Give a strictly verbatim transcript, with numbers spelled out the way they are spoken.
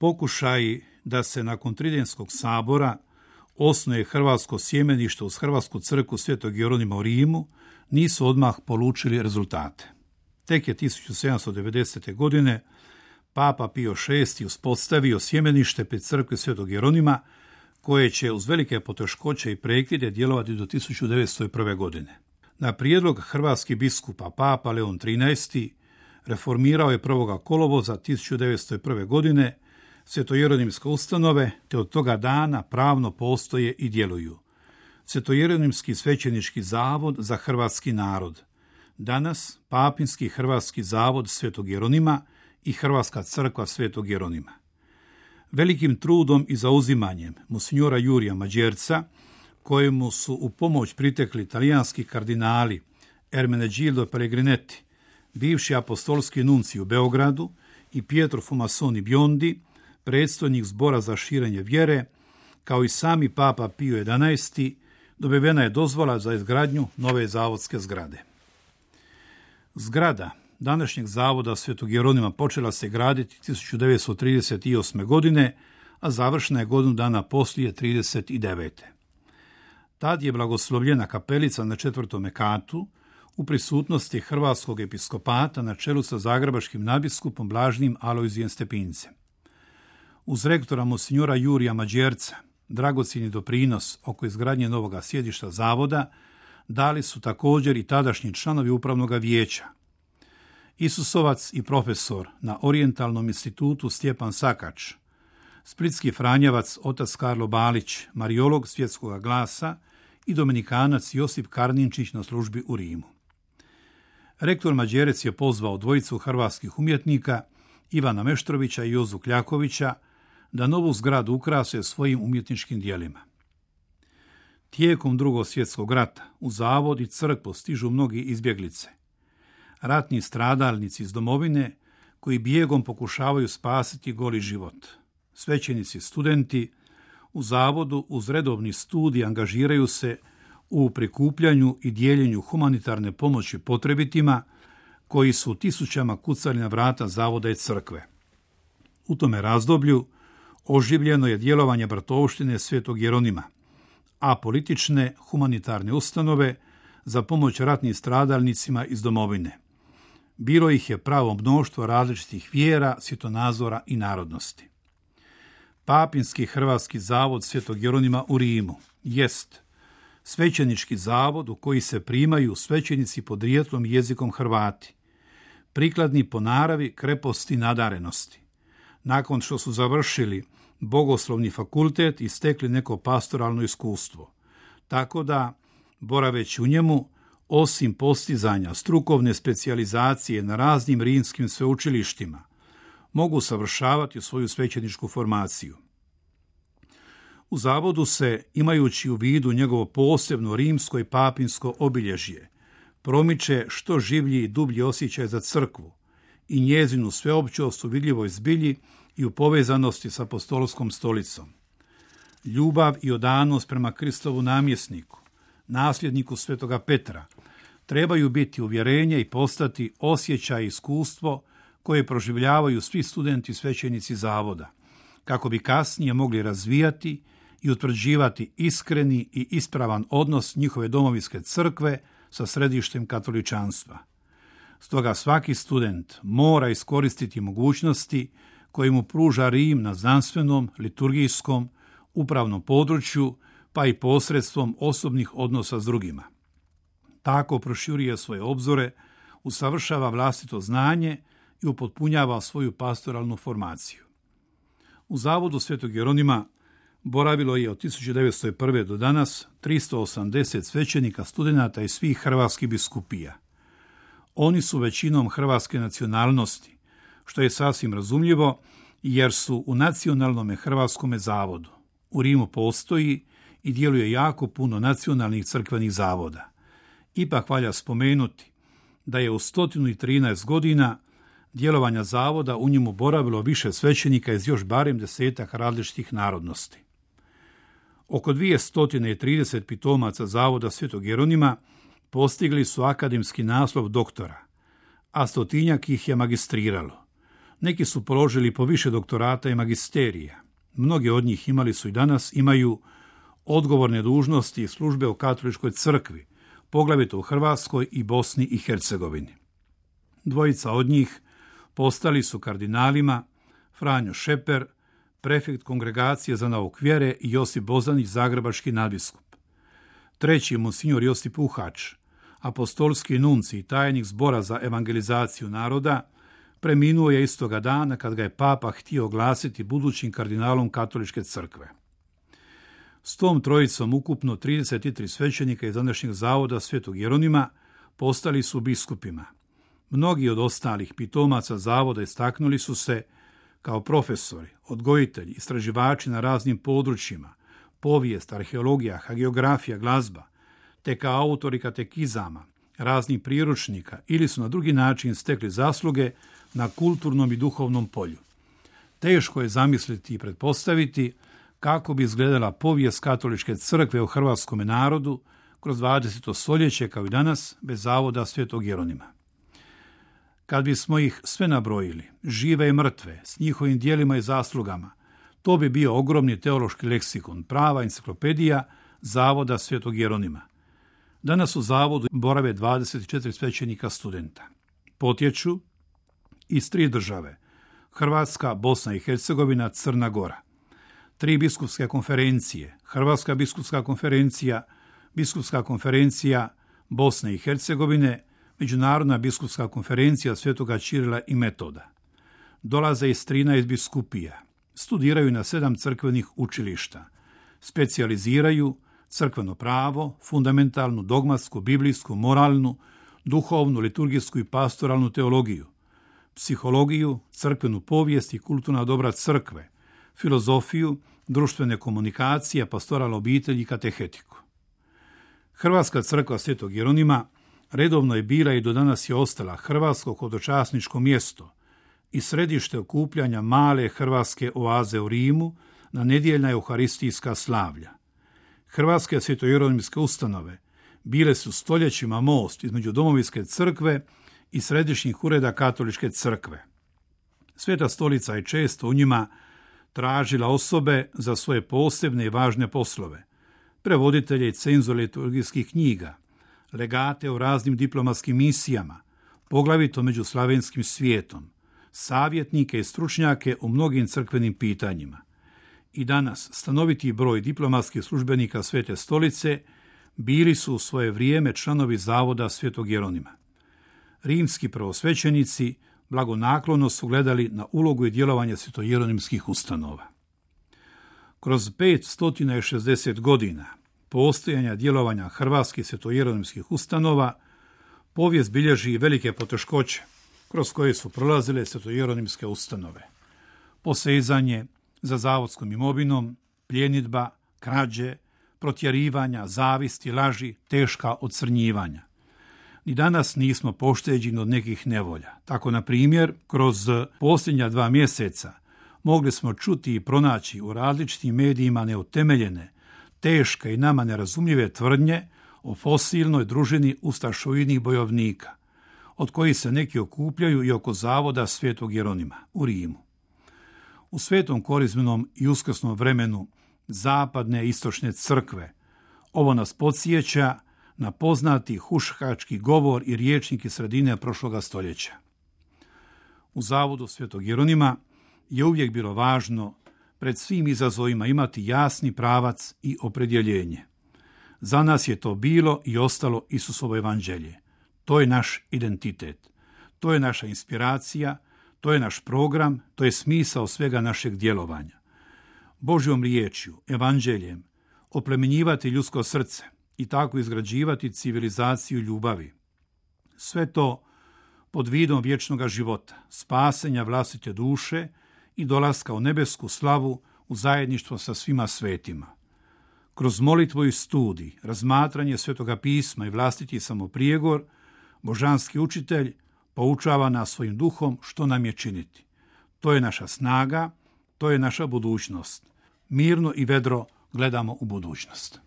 Pokušaj da se nakon Tridentskog sabora osnuje hrvatsko sjemenište uz Hrvatsku crkvu Svetog Jeronima u Rimu nisu odmah polučili rezultate. Tek je tisuću sedamsto devedesete. godine Papa Pio šesti. uspostavio sjemenište pri crkvi Svetog Jeronima, koje će uz velike poteškoće i prekide djelovati do tisuću devetsto prve. godine. Na prijedlog hrvatskih biskupa Papa Leon trinaesti. reformirao je prvog kolovoza tisuću devetsto prve. godine svetojeronimske ustanove, te od toga dana pravno postoje i djeluju Svetojeronimski svećenički zavod za hrvatski narod, danas Papinski hrvatski zavod Svetog Jeronima i Hrvatska crkva Svetog Jeronima. Velikim trudom i zauzimanjem monsignora Jurija Mađerca, kojemu su u pomoć pritekli talijanski kardinali Ermenegildo Pellegrinetti, bivši apostolski nunci u Beogradu, i Pietro Fumasoni Biondi, predstojnik zbora za širenje vjere, kao i sami Papa Pio jedanaesti. dobivena je dozvola za izgradnju nove zavodske zgrade. Zgrada današnjeg zavoda Svetog Jeronima počela se graditi tisuću devetsto trideset osme. godine, a završena je godinu dana poslije trideset devete. Tad je blagoslovljena kapelica na četvrtom katu u prisutnosti hrvatskog episkopata na čelu sa zagrebačkim nadbiskupom Blažnim Alojzijem Stepincem. Uz rektora monsignora Jurija Mađerca dragocjeni doprinos oko izgradnje novoga sjedišta zavoda dali su također i tadašnji članovi upravnog vijeća. Isusovac i profesor na Orijentalnom institutu Stjepan Sakač, splitski franjevac otac Karlo Balić, mariolog Svjetskog glasa i dominikanac Josip Karninčić na službi u Rimu. Rektor Mađerec je pozvao dvojicu hrvatskih umjetnika, Ivana Meštrovića i Jozu Kljakovića, da novu zgradu ukrase svojim umjetničkim dijelima. Tijekom Drugog svjetskog rata u zavod i crkvu stižu mnogi izbjeglice, ratni stradalnici iz domovine koji bijegom pokušavaju spasiti goli život. Svećenici studenti u zavodu uz redovni studij angažiraju se u prikupljanju i dijeljenju humanitarne pomoći potrebitima koji su tisućama kucali na vrata zavoda i crkve. U tome razdoblju oživljeno je djelovanje bratovštine Svetog Jeronima, a politične humanitarne ustanove za pomoć ratnim stradalnicima iz domovine. Bilo ih je pravo mnoštvo različitih vjera, svjetonazora i narodnosti. Papinski hrvatski zavod Svetog Jeronima u Rimu jest svećenički zavod u koji se primaju svećenici podrijetlom i jezikom Hrvati, prikladni po naravi, kreposti i nadarenosti. Nakon što su završili bogoslovni fakultet i stekli neko pastoralno iskustvo, tako da, boraveći u njemu, osim postizanja strukovne specijalizacije na raznim rimskim sveučilištima, mogu savršavati svoju svećeničku formaciju. U zavodu se, imajući u vidu njegovo posebno rimsko i papinsko obilježje, promiče što življi i dublji osjećaj za crkvu i njezinu sveopćost u vidljivoj zbilji i u povezanosti s apostolskom stolicom. Ljubav i odanost prema Kristovu namjesniku, nasljedniku svetoga Petra, trebaju biti uvjerenje i postati osjećaj i iskustvo koje proživljavaju svi studenti svećenici zavoda, kako bi kasnije mogli razvijati i utvrđivati iskreni i ispravan odnos njihove domovinske crkve sa središtem katoličanstva. Stoga svaki student mora iskoristiti mogućnosti koje mu pruža Rim na znanstvenom, liturgijskom, upravnom području, pa i posredstvom osobnih odnosa s drugima. Tako proširuje svoje obzore, usavršava vlastito znanje i upotpunjava svoju pastoralnu formaciju. U zavodu Svetog Jeronima boravilo je od tisuću devetsto prve. do danas tristo osamdeset svećenika, studenata i svih hrvatskih biskupija. Oni su većinom hrvatske nacionalnosti, što je sasvim razumljivo jer su u nacionalnom hrvatskom zavodu. U Rimu postoji i djeluje jako puno nacionalnih crkvenih zavoda. Ipak valja spomenuti da je u sto trinaest godina djelovanja zavoda u njemu boravilo više svećenika iz još barem desetak različitih narodnosti. Oko dvjesto trideset pitomaca zavoda Svetog Jeronima postigli su akademski naslov doktora, a stotinjak ih je magistriralo. Neki su položili po više doktorata i magisterija. Mnogi od njih imali su i danas imaju odgovorne dužnosti i službe u katoličkoj crkvi, poglavito u Hrvatskoj i Bosni i Hercegovini. Dvojica od njih postali su kardinalima Franjo Šeper, prefekt Kongregacije za nauk vjere, i Josip Bozanić, zagrebački nadbiskup. Treći, monsignor Josip Uhač, apostolski nunci i tajnik Zbora za evangelizaciju naroda, preminuo je istoga dana kad ga je papa htio oglasiti budućim kardinalom katoličke crkve. S tom trojicom ukupno trideset tri svećenika iz današnjeg zavoda Svetog Jeronima postali su biskupima. Mnogi od ostalih pitomaca zavoda istaknuli su se kao profesori, odgojitelji, istraživači na raznim područjima, povijest, arheologija, hagiografija, glazba, te kao autori katekizama, raznih priručnika ili su na drugi način stekli zasluge na kulturnom i duhovnom polju. Teško je zamisliti i pretpostaviti kako bi izgledala povijest katoličke crkve u hrvatskom narodu kroz dvadeseto stoljeće kao i danas bez zavoda Svetog Jeronima. Kad bismo ih sve nabrojili, žive i mrtve, s njihovim dijelima i zaslugama, to bi bio ogromni teološki leksikon, prava enciklopedija zavoda Svetog Jeronima. Danas u zavodu borave dvadeset četiri svećenika studenta. Potječu iz tri države: Hrvatska, Bosna i Hercegovina, Crna Gora. Tri biskupske konferencije: Hrvatska biskupska konferencija, Biskupska konferencija Bosne i Hercegovine, Međunarodna biskupska konferencija Svetoga Ćirila i Metoda. Dolaze iz trinaest biskupija, studiraju na sedam crkvenih učilišta, specijaliziraju crkveno pravo, fundamentalnu, dogmatsku, biblijsku, moralnu, duhovnu, liturgijsku i pastoralnu teologiju, psihologiju, crkvenu povijest i kulturna dobra crkve, filozofiju, društvene komunikacije, pastoral obitelji i katehetiku. Hrvatska crkva Svetog Jeronima redovno je bila i do danas je ostala hrvatsko hodočasničko mjesto i središte okupljanja male hrvatske oaze u Rimu na nedjeljna euharistijska slavlja. Hrvatske svetojeronimske ustanove bile su stoljećima most između domovinske crkve i središnjih ureda katoličke crkve. Sveta stolica je često u njima tražila osobe za svoje posebne i važne poslove, prevoditelje i cenzore liturgijskih knjiga, legate u raznim diplomatskim misijama, poglavito među slavenskim svijetom, savjetnike i stručnjake u mnogim crkvenim pitanjima. I danas stanoviti broj diplomatskih službenika Svete stolice bili su u svoje vrijeme članovi zavoda Svetog Jeronima. Rimski prvosvećenici blagonaklono su gledali na ulogu i djelovanje svetojeronimskih ustanova. Kroz petsto šezdeset godina postojanja djelovanja hrvatskih svetojeronimskih ustanova povijest bilježi velike poteškoće kroz koje su prolazile svetojeronimske ustanove. Posezanje za zavodskom imovinom, pljenidba, krađe, protjerivanja, zavisti, laži, teška ocrnjivanja. Ni danas nismo pošteđeni od nekih nevolja. Tako, na primjer, kroz posljednja dva mjeseca mogli smo čuti i pronaći u različitim medijima neutemeljene, teške i nama nerazumljive tvrdnje o fosilnoj družini ustašoidnih bojovnika, od kojih se neki okupljaju i oko zavoda Svetog Jeronima u Rimu. U svetom korizmenom i uskrsnom vremenu zapadne i istočne crkve ovo nas podsjeća na poznati huškački govor i rječnik iz sredine prošloga stoljeća. U zavodu Svetog Jeronima je uvijek bilo važno pred svim izazovima imati jasni pravac i opredjeljenje. Za nas je to bilo i ostalo Isusovo evanđelje. To je naš identitet, to je naša inspiracija, to je naš program, to je smisao svega našeg djelovanja. Božjom riječju, evanđeljem, oplemenjivati ljudsko srce i tako izgrađivati civilizaciju ljubavi. Sve to pod vidom vječnog života, spasenja vlastite duše i dolaska u nebesku slavu u zajedništvo sa svima svetima. Kroz molitvu i studij, razmatranje Svetoga pisma i vlastiti samoprijegor, božanski učitelj poučava nas svojim duhom što nam je činiti. To je naša snaga, to je naša budućnost. Mirno i vedro gledamo u budućnost.